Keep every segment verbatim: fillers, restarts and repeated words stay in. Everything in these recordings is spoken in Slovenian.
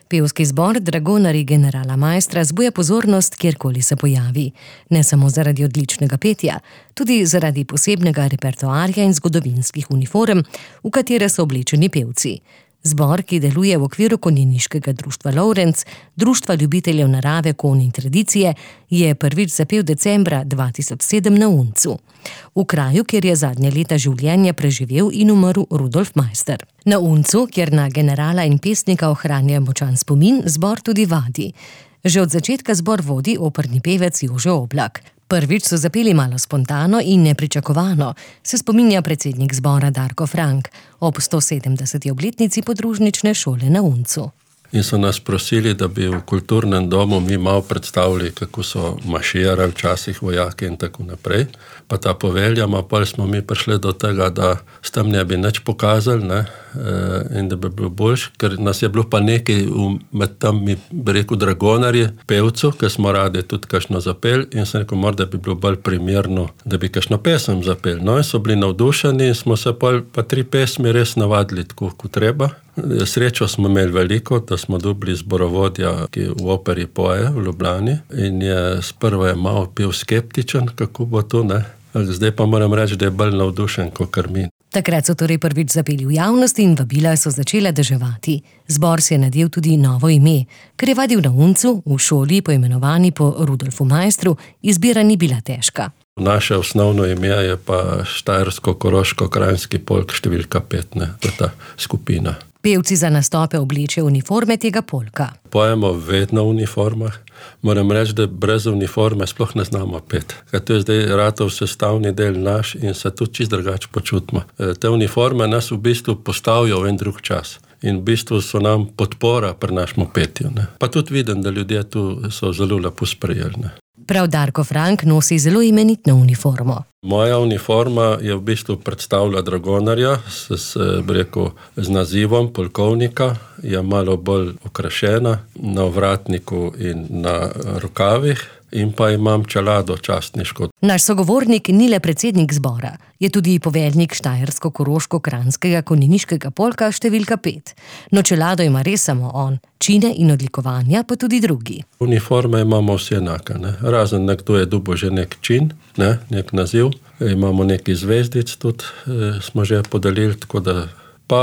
Pevski zbor Dragonarji generala Maistra zbuja pozornost, kjerkoli se pojavi. Ne samo zaradi odličnega petja, tudi zaradi posebnega repertoarja in zgodovinskih uniform, v katere so oblečeni pevci. Zbor, ki deluje v okviru konjeniškega društva Lovrenc, društva ljubiteljev narave, konj in tradicije, je prvič zapel decembra dva tisoč sedem na Uncu, v kraju, kjer je zadnje leta življenja preživel in umrl Rudolf Maister. Na Uncu, kjer na generala in pesnika ohranja močan spomin, zbor tudi vadi. Že od začetka zbor vodi operni pevec Jože Oblak. Prvič so zapeli malo spontano in nepričakovano, se spominja predsednik zbora Darko Frank ob sto sedemdeseti obletnici podružnične šole na Uncu. In so nas prosili, da bi v kulturnem domu mi malo predstavili, kako so maširali včasih vojaki in tako naprej. Pa ta povelja, ma pol smo mi prišli do tega, da s tem ne bi nič pokazali, ne, in da bi bilo boljš, ker nas je bilo pa nekaj med tam, mi bi rekel, dragonarji, pevcu, ki smo radi tudi kakšno zapeli in sem rekel, morda bi bilo bolj primerno, da bi kakšno pesem zapeli. No in so bili navdušeni in smo se pol pa tri pesmi res navadili tako, kot treba. Srečo smo imeli veliko, da smo dobili zborovodja, ki v operi poje v Ljubljani in je sprva je malo bil skeptičen, kako bo to, ne. Zdaj pa moram reči, da je bolj navdušen, kakor mi. Takrat so torej prvič zapeli v javnosti in vabila so začela deževati. Zbor si je nadel tudi novo ime. Ker je vadil na Uncu, v šoli poimenovani po Rudolfu Maistru, izbira ni bila težka. Naše osnovno ime je pa Štajersko-Koroško-Kranjski polk številka pet, ne, to je ta skupina. Pevci za nastope oblečejo uniforme tega polka. Pojemo vedno v uniformah. Moram reči, da brez uniforme sploh ne znamo peti. Ker to je zdaj ratov sestavni del naš in se tudi čisto drugače počutimo. Te uniforme nas v bistvu postavijo v en drug čas. In v bistvu so nam podpora pri našemu petju, ne. Pa tudi vidim, da ljudje tu so zelo lepo sprejeli, ne. Prav Darko Frank nosi zelo imenitno uniformo. Moja uniforma je v bistvu predstavlja dragonarja s, s, rekel, z nazivom polkovnika, je malo bolj okrašena na ovratniku in na rokavih in pa imam čelado častniško. Naš sogovornik ni le predsednik zbora, je tudi poveljnik Štajersko-Koroško-Kranjskega konjeniškega polka številka pet. No, čelado ima res samo on, čine in odlikovanja pa tudi drugi. Uniforme imamo vse enake, ne. Razen nekdo je dobil že nek čin, ne, nek naziv. Imamo neki zvezdic tudi, eh, smo že podelili, tako da pa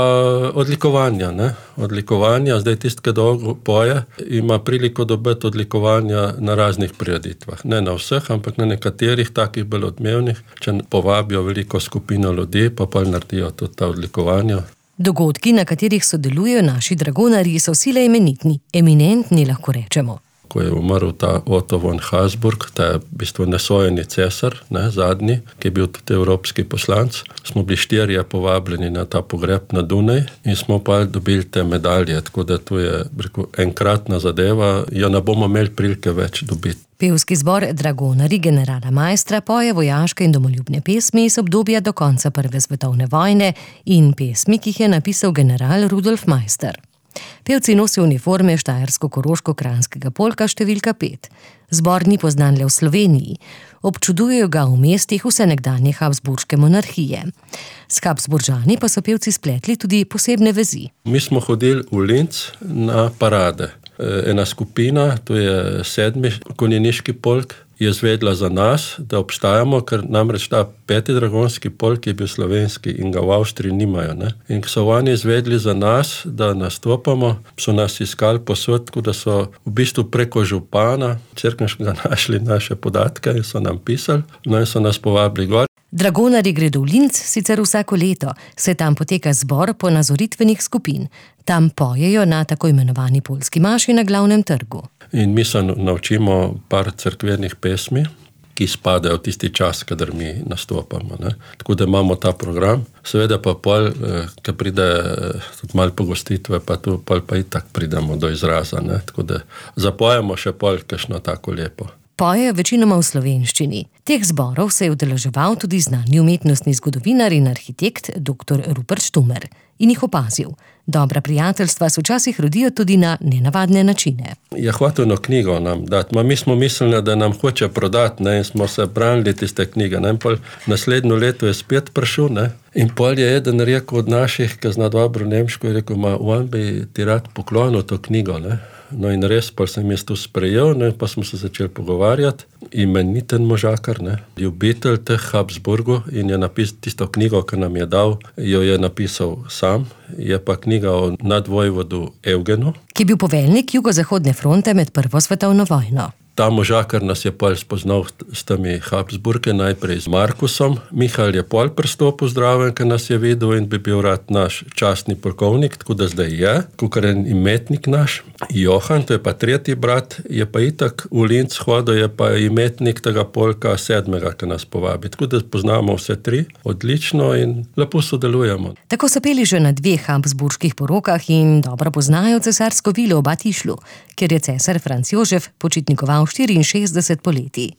odlikovanja, ne. Odlikovanja, zdaj tisti, ki dolgo poje, ima priliko dobiti odlikovanja na raznih prireditvah. Ne na vseh, ampak na nekaterih takih bolj odmevnih, če povabijo veliko skupino ljudi, pa pa naredijo tudi ta odlikovanja. Dogodki, na katerih sodelujejo naši dragonarji, so sile imenitni, eminentni lahko rečemo. Ko je umrl ta Otto von Habsburg, ta je v bistvu nesojeni cesar, ne, zadnji, ki je bil tudi evropski poslanec, smo bili štirje povabljeni na ta pogreb na Dunaj in smo pa dobili te medalje, tako da to je, rekel, enkratna zadeva, jo ne bomo imeli prilike več dobiti. Pevski zbor Dragonarji generala Maistra poje vojaške in domoljubne pesmi iz obdobja do konca Prve svetovne vojne in pesmi, ki jih je napisal general Rudolf Maister. Pevci nosijo uniforme Štajersko-Koroško-Kranjskega polka številka pet. Zbor ni poznan le v Sloveniji. Občudujejo ga v mestih vse nekdanje habsburške monarhije. S Habsburžani pa so pevci spletli tudi posebne vezi. Mi smo hodili v Linz na parade. Ena skupina, to je sedmi konjeniški polk, je zvedla za nas, da obstajamo, ker namreč ta peti dragonski polk je bil slovenski in ga v Avstriji nimajo, ne. In ko so oni zvedli za nas, da nastopamo, so nas iskali posod, tako da so v bistvu preko župana Cerkniškega našli naše podatke in so nam pisali, no in so nas povabili gor. Dragonarji gredo v Linz sicer vsako leto, se tam poteka zbor ponazoritvenih skupin. Tam pojejo na tako imenovani poljski maši na glavnem trgu. In mi se naučimo par cerkvenih pesmi, ki spadajo v tisti čas, kadar mi nastopamo, ne. Tako da imamo ta program. Seveda pa pol, ko pride tudi malo pogostitve, pa tu pol pa itak pridemo do izraza, ne. Tako da zapojemo še pol kakšno tako lepo. Pojejo večinoma v slovenščini. Teh zborov se je udeleževal tudi znani umetnostni zgodovinar in arhitekt doktor Rupert Štumer in jih opazil. Dobra prijateljstva se včasih rodijo tudi na nenavadne načine. Je hotel eno knjigo nam dati, ma mi smo mislili, da nam hoče prodati, ne, in smo se branili tiste knjige, ne, in pol naslednjo leto je spet prišel, ne, In pol je eden rekel od naših, ki zna dobro nemško, je rekel, ma on bi ti rad poklonil to knjigo, ne. No in res, pa sem jaz to sprejel, ne, pa smo se začeli pogovarjati. Imeniten možakar, ne, ljubitelj teh Habsburgov in je napisal tisto knjigo, ki nam je dal, jo je napisal sam, je pa knjiga o nadvojvodu Evgenu. Ki je bil poveljnik jugozahodne fronte med prvo svetovno vojno. Ta možakar nas je pol spoznal s temi Habsburge, najprej z Markusom. Mihael je pol pristopil zdraven, ki nas je videl in bi bil rad naš častni polkovnik, tako da zdaj je, kakor en imetnik naš. Johan, to je pa tretji brat, je pa itak v Linz hodil, je pa imetnik tega polka sedmega, ki nas povabi. Tako da poznamo vse tri odlično in lepo sodelujemo. Tako so peli že na dveh habsburških porokah in dobro poznajo cesarsko vilo v Batišlu, kjer je cesar Franc Jožef počitnikoval štiriinšestdeset poletij.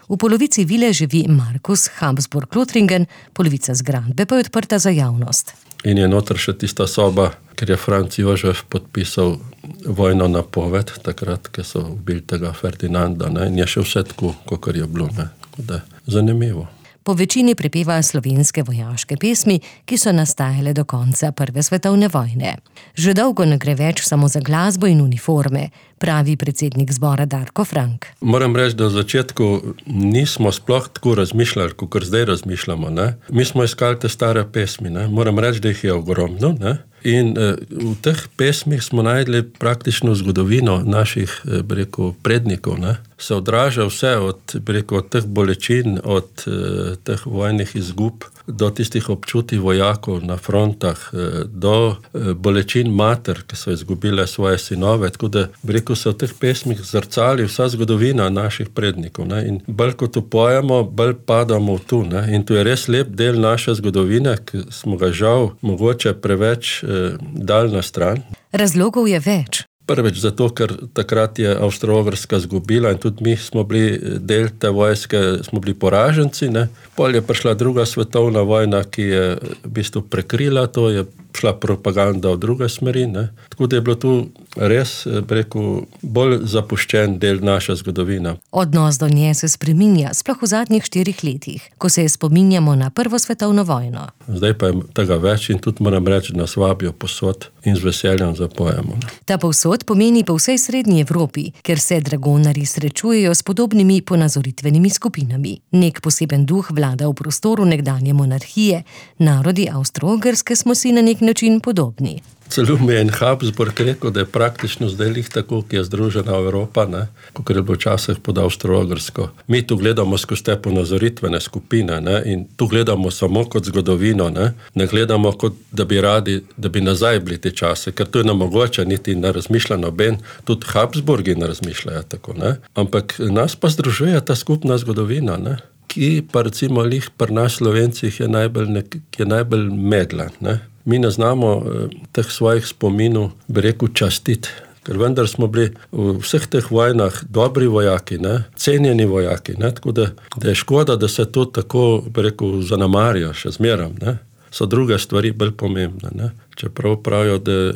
V polovici vile živi Markus Habsburg-Lothringen, polovica zgradbe pa je odprta za javnost. In je noter še tista soba, ker je Franc Jožef podpisal vojno napoved, takrat, ko so ubili tega Ferdinanda, ne? In je še vse tako, kakor je bilo, ne? Tako da zanimivo. Po večini prepeva slovenske vojaške pesmi, ki so nastajale do konca prve svetovne vojne. Že dolgo ne gre več samo za glasbo in uniforme, pravi predsednik zbora Darko Frank. Moram reči, da v začetku nismo sploh tako razmišljali, kakor zdaj razmišljamo, ne. Mi smo iskali te stare pesmi, ne. Moram reči, da jih je ogromno, ne. In eh, v teh pesmih smo najdli praktično zgodovino naših, eh, bi rekel, prednikov, ne. Se odraža vse od, bi rekel, od teh bolečin, od eh, teh vojnih izgub, do tistih občutij vojakov na frontah, eh, do eh, bolečin mater, ki so izgubile svoje sinove, tako da, bi rekel, se v teh pesmih zrcali vsa zgodovina naših prednikov, ne. In bolj kot upojemo, bolj padamo v tu, ne. In tu je res lep del naše zgodovine, ki smo ga žal mogoče preveč dal na stran. Razlogov je več. Prvič zato, ker takrat je Avstro-Ogrska zgubila in tudi mi smo bili del te vojske, smo bili poraženci, ne. Pol je prišla druga svetovna vojna, ki je v bistvu prekrila to, je šla propaganda v druge smeri, ne. Tako da je bilo tu res, rekel, bolj zapuščen del naše zgodovine. Odnos do nje se spreminja, sploh v zadnjih štirih letih, ko se spominjamo na prvo svetovno vojno. Zdaj pa je tega več in tudi moram reči, da nas vabijo posod in z veseljem zapojemo. Ta povsod pomeni po vsej srednji Evropi, ker se dragonarji srečujejo s podobnimi ponazoritvenimi skupinami. Nek poseben duh vlada v prostoru nekdanje monarhije, narodi Avstro-Ogrske smo si na nek način podobni. Celo mi je en Habsburg rekel, da je praktično zdaj lih tako, ki je združena Evropa, ne, kakor je bilo včasih pod Avstro-Ogrsko. Mi tu gledamo skozi te ponazoritvene skupine, ne, in tu gledamo samo kot zgodovino, ne, ne gledamo kot, da bi radi, da bi nazaj bili te čase, ker to je nemogoče, niti ne razmišlja noben, tudi Habsburgi ne razmišljajo tako, ne, ampak nas pa združuje ta skupna zgodovina, ne, ki pa recimo lih pri nas Slovencih je najbolj, nek, je najbolj medla, ne. Mi ne znamo eh, teh svojih spominov, bi rekel, častiti, ker vendar smo bili v vseh teh vojnah dobri vojaki, ne, cenjeni vojaki, ne, tako da, da je škoda, da se to tako, bi rekel, zanemarijo še zmeram, ne. So druge stvari bolj pomembne, ne. Čeprav pravijo, da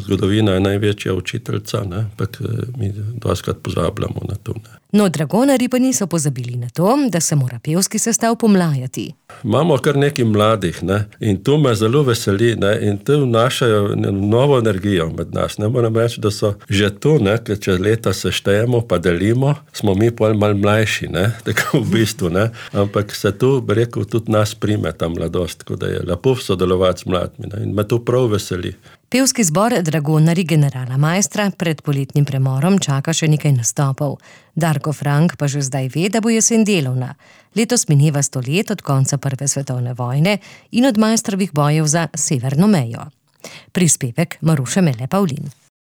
zgodovina je največja učiteljica, ne, ampak mi dostikrat pozabljamo na to, ne. No, dragonarji pa niso pozabili na to, da se mora pevski sestav pomlajati. Imamo kar nekaj mladih, ne, in to me zelo veseli, ne, in to vnašajo novo energijo med nas, ne, moram reči, da so že tu, ne, ker če leta seštejemo pa delimo, smo mi pol malo mlajši, ne, tako v bistvu, ne, ampak se tu, bi rekel, tudi nas prime ta mladost, tako da je lepo sodelovati z mladimi, ne, in me to prav veseli. Pevski zbor Dragonarji generala Maistra pred poletnim premorom čaka še nekaj nastopov. Darko Frank pa že zdaj ve, da bo jesen delovna. Letos mineva sto let od konca prve svetovne vojne in od Maistrovih bojev za severno mejo. Prispevek Maruše Mele Pavlin.